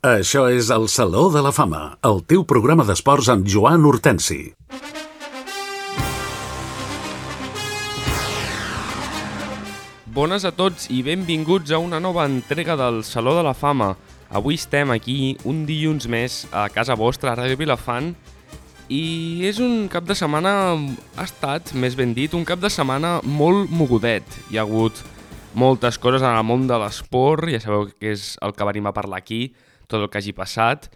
Això és el Saló de la Fama, el teu programa d'esports amb Joan Hortensi. Bones a tots i benvinguts a una nova entrega del Saló de la Fama. Avui estem aquí un dilluns més a casa vostra, a Ràdio Vilafant, i és un cap de setmana, ha estat, més ben dit, un cap de setmana molt mogudet. Hi ha hagut moltes coses en el món de l'esport, ja sabeu que és el que venim a parlar aquí, tot el que hagi passat.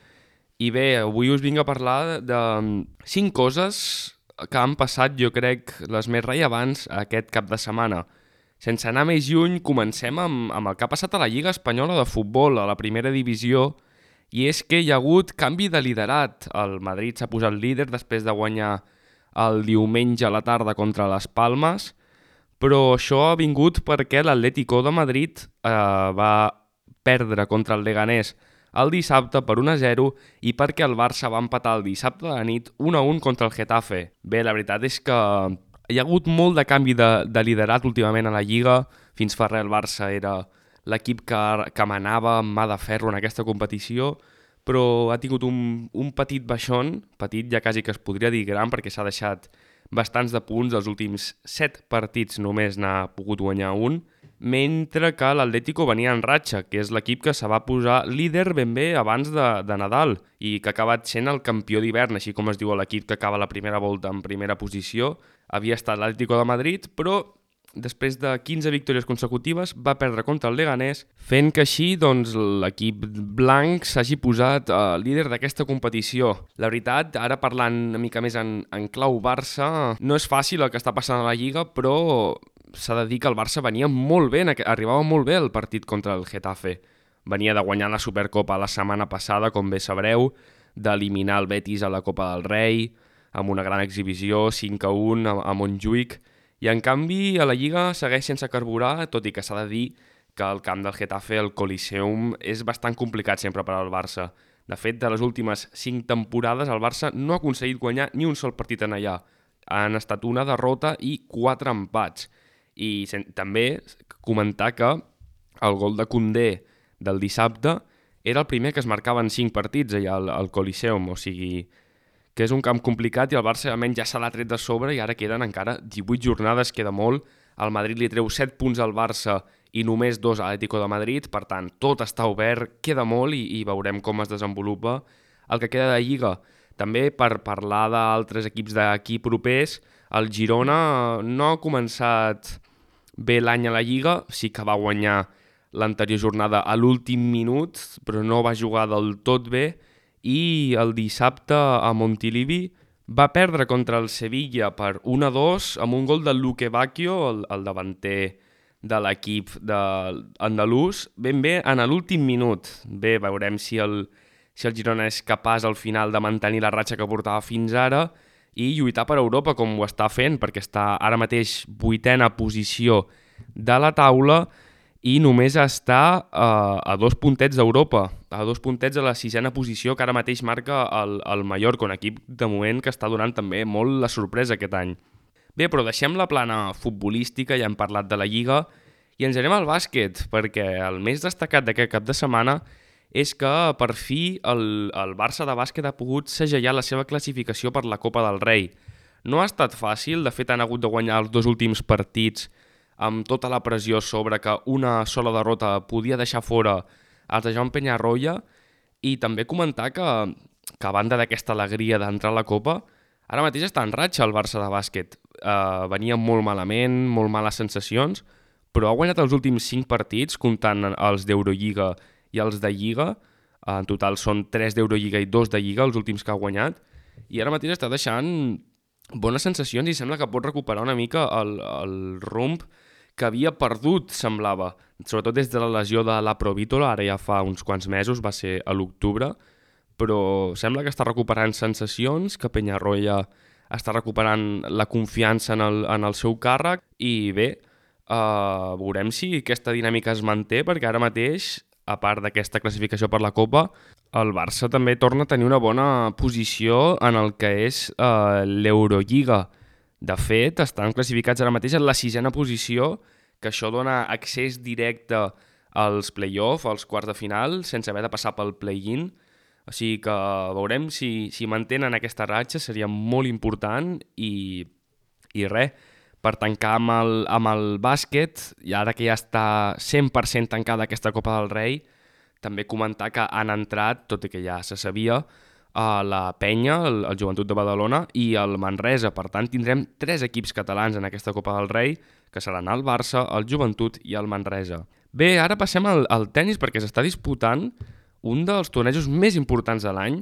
I bé, avui us vinc a parlar de 5 coses que han passat, jo crec, les més rellevants aquest cap de setmana. Sense anar més lluny, comencem amb el que ha passat a la Lliga Espanyola de Futbol, a la primera divisió, i és que hi ha hagut canvi de liderat. El Madrid s'ha posat líder després de guanyar el diumenge a la tarda contra les Palmes, però això ha vingut perquè l'Atlético de Madrid va perdre contra el Leganés el dissabte per 1-0 i perquè el Barça va empatar el dissabte de la nit 1-1 contra el Getafe. Bé, la veritat és que hi ha hagut molt de canvi de liderat últimament a la Lliga. Fins fa res el Barça era l'equip que manava amb mà de ferro en aquesta competició, però ha tingut un petit baixón, petit ja quasi que es podria dir gran, perquè s'ha deixat bastants de punts, els últims 7 partits només n'ha pogut guanyar un, mentre que l'Atlético venia en ratxa, que és l'equip que se va posar líder ben bé abans de Nadal i que ha acabat sent el campió d'hivern, així com es diu l'equip que acaba la primera volta en primera posició. Havia estat l'Atlético de Madrid, però després de 15 victòries consecutives va perdre contra el Leganés, fent que així doncs, l'equip blanc s'hagi posat líder d'aquesta competició. La veritat, ara parlant una mica més en clau Barça, no és fàcil el que està passant a la Lliga, però s'ha de dir que el Barça venia molt bé, arribava molt bé el partit contra el Getafe. Venia de guanyar la Supercopa la setmana passada, com bé sabreu, d'eliminar el Betis a la Copa del Rei, amb una gran exhibició, 5-1 a Montjuïc, i en canvi a la Lliga segueix sense carburar, tot i que s'ha de dir que el camp del Getafe, el Coliseum, és bastant complicat sempre per al Barça. De fet, de les últimes 5 temporades el Barça no ha aconseguit guanyar ni un sol partit en allà. Han estat una derrota i 4 empats. I també comentar que el gol de Koundé del dissabte era el primer que es marcava en 5 partits allà al Coliseum, o sigui que és un camp complicat i el Barça almenys ja se l'ha tret de sobre i ara queden encara 18 jornades, queda molt. El Madrid li treu 7 punts al Barça i només 2 a l'Atlético de Madrid, per tant, tot està obert, queda molt i veurem com es desenvolupa el que queda de Lliga. També per parlar d'altres equips d'aquí propers, el Girona no ha començat bé l'any a la Lliga, sí que va guanyar l'anterior jornada a l'últim minut, però no va jugar del tot bé, i el dissabte a Montilivi va perdre contra el Sevilla per 1-2 amb un gol de Luque Bacchio, el davanter de l'equip andalús, ben bé en l'últim minut. Bé, veurem si el Girona és capaç al final de mantenir la ratxa que portava fins ara i lluitar per Europa com ho està fent, perquè està ara mateix 8a posició de la taula i només està a 2 puntets d'Europa, a 2 puntets a la 6a posició que ara mateix marca el Mallorca, un equip de moment que està donant també molt la sorpresa aquest any. Bé, però deixem la plana futbolística, ja hem parlat de la Lliga, i ens anem al bàsquet, perquè el més destacat d'aquest cap de setmana és que per fi el Barça de bàsquet ha pogut segellar la seva classificació per la Copa del Rei. No ha estat fàcil, de fet han hagut de guanyar els 2 últims partits amb tota la pressió sobre que una sola derrota podia deixar fora els de Joan Peñarroya, i també comentar que a banda d'aquesta alegria d'entrar a la Copa, ara mateix està en ratxa el Barça de bàsquet. Venia molt malament, molt males sensacions, però ha guanyat els últims 5 partits, comptant els d'Eurolliga i els de Lliga. En total són 3 d'Eurolliga i 2 de Lliga, els últims que ha guanyat, i ara mateix està deixant bones sensacions i sembla que pot recuperar una mica el rumb que havia perdut, semblava, sobretot des de la lesió de la Provítola, ara ja fa uns quants mesos, va ser a l'octubre, però sembla que està recuperant sensacions, que Peñarroya està recuperant la confiança en el seu càrrec, i bé, veurem si aquesta dinàmica es manté, perquè ara mateix, a part d'aquesta classificació per la Copa, el Barça també torna a tenir una bona posició en el que és l'Eurolliga. De fet, estan classificats ara mateix en la 6a posició, que això dona accés directe als play-off, als quarts de final, sense haver de passar pel play-in. O sigui que veurem si mantenen aquesta ratxa, seria molt important i res, per tancar amb el bàsquet, i ara que ja està 100% tancada aquesta Copa del Rei, també comentar que han entrat, tot i que ja se sabia, la Penya, el Joventut de Badalona i el Manresa. Per tant, tindrem 3 equips catalans en aquesta Copa del Rei, que seran el Barça, el Joventut i el Manresa. Bé, ara passem al tennis perquè s'està disputant un dels tornejos més importants de l'any,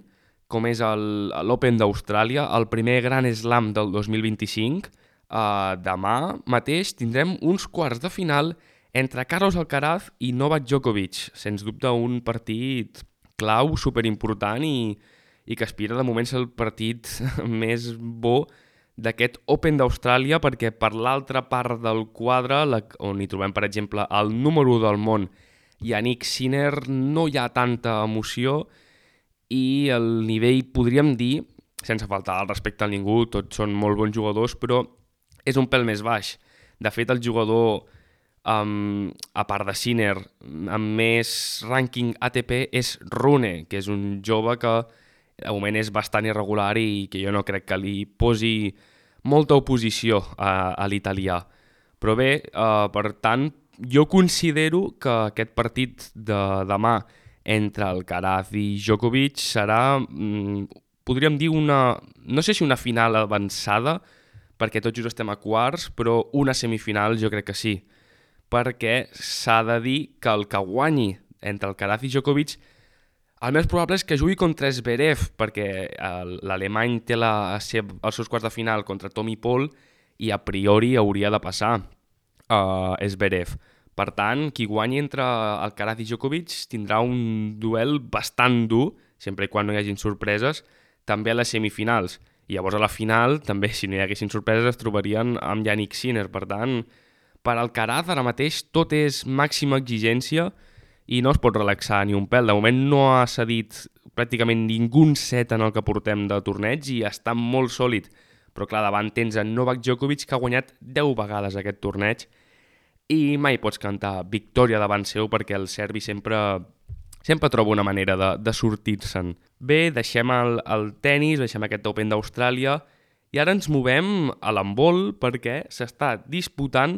com és l'Open d'Austràlia, el primer Grand Slam del 2025. Demà mateix tindrem uns quarts de final entre Carlos Alcaraz i Novak Djokovic. Sens dubte un partit clau, superimportant i que aspira de moment ser el partit més bo d'aquest Open d'Austràlia, perquè per l'altra part del quadre, on hi trobem per exemple el número 1 del món, Yannick Sinner, no hi ha tanta emoció i el nivell, podríem dir, sense faltar el respecte a ningú, tots són molt bons jugadors, però és un pèl més baix. De fet, el jugador, a part de Sinner, amb més rànquing ATP és Rune, que és un jove que de moment és bastant irregular i que jo no crec que li posi molta oposició a l'italià. Però bé, per tant, jo considero que aquest partit de demà entre Alcaraz i Djokovic serà, podríem dir, no sé si una final avançada, perquè tots just estem a quarts, però una semifinal jo crec que sí, perquè s'ha de dir que el que guanyi entre Alcaraz i Djokovic, el més probable és que jugui contra Zverev, perquè l'alemany té els seus quarts de final contra Tommy Paul i a priori hauria de passar Zverev. Per tant, qui guanyi entre Alcaraz i Djokovic tindrà un duel bastant dur, sempre i quan no hi hagin sorpreses, també a les semifinals. I llavors a la final, també, si no hi haguessin sorpreses, es trobarien amb Yannick Sinner. Per tant, per Alcaraz ara mateix tot és màxima exigència i no es pot relaxar ni un pèl. De moment no ha cedit pràcticament ningú set en el que portem de torneig i està molt sòlid. Però clar, davant tens en Novak Djokovic, que ha guanyat 10 vegades aquest torneig, i mai pots cantar victòria davant seu perquè el serbi sempre troba una manera de sortir-se'n. Bé, deixem el tennis, deixem aquest Open d'Austràlia i ara ens movem a l'handbol perquè s'està disputant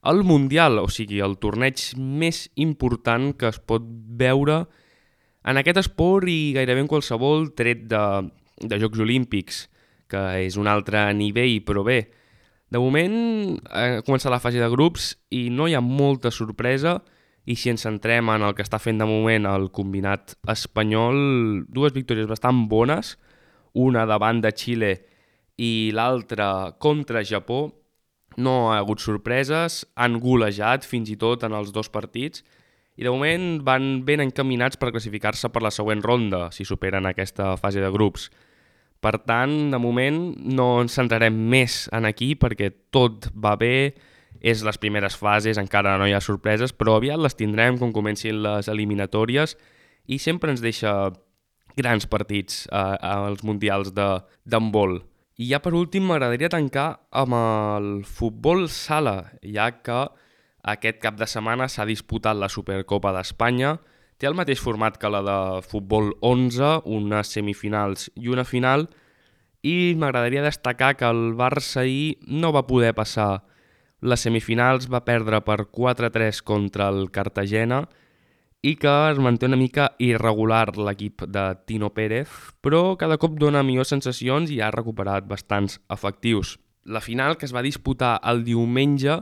el Mundial, o sigui, el torneig més important que es pot veure en aquest esport i gairebé en qualsevol tret de Jocs Olímpics, que és un altre nivell, però bé, de moment ha començat la fase de grups i no hi ha molta sorpresa i si ens centrem en el que està fent de moment el combinat espanyol, 2 victòries bastant bones, una davant de Xile i l'altra contra Japó. No ha hagut sorpreses, han golejat fins i tot en els 2 partits i de moment van ben encaminats per classificar-se per la següent ronda si superen aquesta fase de grups. Per tant, de moment no ens centrarem més en aquí perquè tot va bé, és les primeres fases, encara no hi ha sorpreses, però aviat les tindrem quan comencin les eliminatòries i sempre ens deixa grans partits als mundials d'handbol. I ja per últim m'agradaria tancar amb el futbol sala, ja que aquest cap de setmana s'ha disputat la Supercopa d'Espanya. Té el mateix format que la de futbol 11, unes semifinals i una final, i m'agradaria destacar que el Barça ahir no va poder passar les semifinals, va perdre per 4-3 contra el Cartagena i que es manté una mica irregular l'equip de Tino Pérez, però cada cop dona millors sensacions i ha recuperat bastants efectius. La final, que es va disputar el diumenge,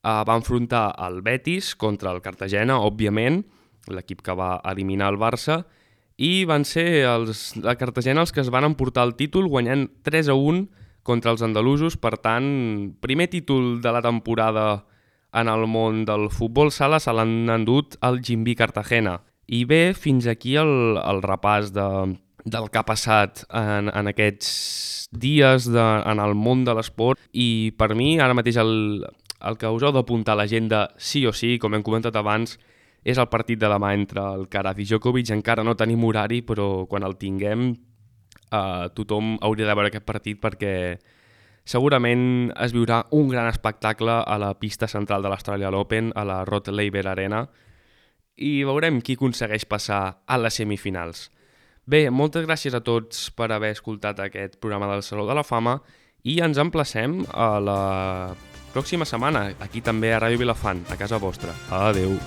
va enfrontar el Betis contra el Cartagena, òbviament, l'equip que va eliminar el Barça, i van ser la Cartagena els que es van emportar el títol guanyant 3-1 contra els andalusos. Per tant, primer títol de la temporada en el món del futbol sala se l'han endut el Gimbi Cartagena. I bé, fins aquí el repàs del que ha passat en aquests dies en el món de l'esport i per mi ara mateix el que us heu d'apuntar a l'agenda sí o sí, com hem comentat abans, és el partit de demà entre Alcaraz i Djokovic. Encara no tenim horari, però quan el tinguem tothom hauria de veure aquest partit perquè segurament es viurà un gran espectacle a la pista central de l'Australian Open, a la Rod Laver Arena, i veurem qui aconsegueix passar a les semifinals. Bé, moltes gràcies a tots per haver escoltat aquest programa del Saló de la Fama i ens emplacem a la pròxima setmana, aquí també a Ràdio Vilafant, a casa vostra. Adeu!